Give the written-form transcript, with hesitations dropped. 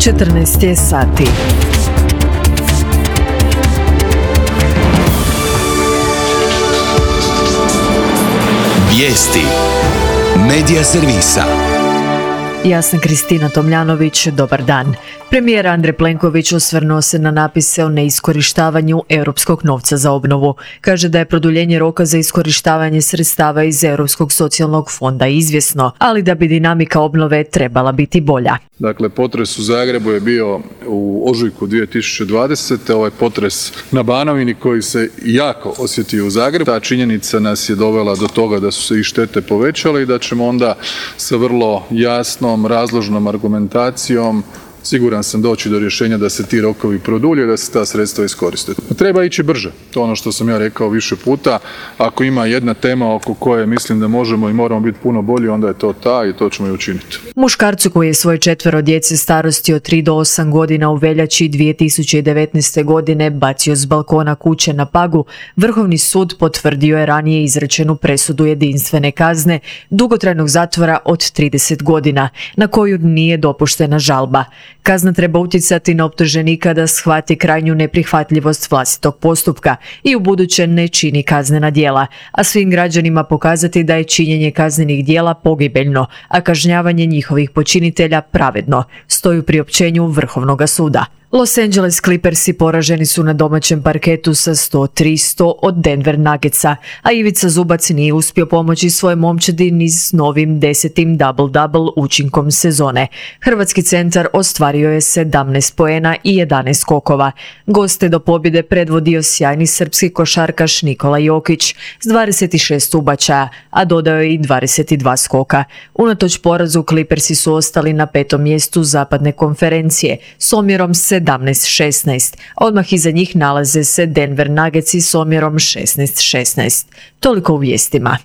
14 je sati. Vijesti Medija servisa. Ja sam Kristina Tomljanović, dobar dan. Premijer Andrej Plenković osvrnuo se na napise o neiskorištavanju europskog novca za obnovu. Kaže da je produljenje roka za iskorištavanje sredstava iz Europskog socijalnog fonda izvjesno, ali da bi dinamika obnove trebala biti bolja. Dakle, potres u Zagrebu je bio u ožujku 2020. Ovaj potres na Banovini koji se jako osjetio u Zagrebu. Ta činjenica nas je dovela do toga da su se i štete povećale i da ćemo onda sa vrlo jasnom, razložnom argumentacijom siguran sam doći do rješenja da se ti rokovi produlje, da se ta sredstva iskoriste. Treba ići brže, to je ono što sam ja rekao više puta. Ako ima jedna tema oko koje mislim da možemo i moramo biti puno bolji, onda je to ta i to ćemo i učiniti. Muškarcu koji je svoje 4 djece starosti od 3 do 8 godina u veljači 2019. godine bacio s balkona kuće na Pagu, Vrhovni sud potvrdio je ranije izrečenu presudu jedinstvene kazne dugotrajnog zatvora od 30 godina, na koju nije dopuštena žalba. Kazna treba utjecati na optuženika da shvati krajnju neprihvatljivost vlastitog postupka i ubuduće ne čini kaznena djela, a svim građanima pokazati da je činjenje kaznenih djela pogibeljno, a kažnjavanje njihovih počinitelja pravedno, stoji u priopćenju Vrhovnoga suda. Los Angeles Clippersi poraženi su na domaćem parketu sa 103-100 od Denver Nuggetsa, a Ivica Zubac nije uspio pomoći svoje momčadi ni s novim 10. double-double učinkom sezone. Hrvatski centar ostvario je 17 poena i 11 skokova. Goste do pobjede predvodio sjajni srpski košarkaš Nikola Jokić s 26 ubačaja, a dodao je i 22 skoka. Unatoč porazu Clippersi su ostali na 5. mjestu zapadne konferencije s omjerom 17-16, a odmah iza njih nalaze se Denver Nuggetsi s omjerom 16-16. Toliko u vijestima.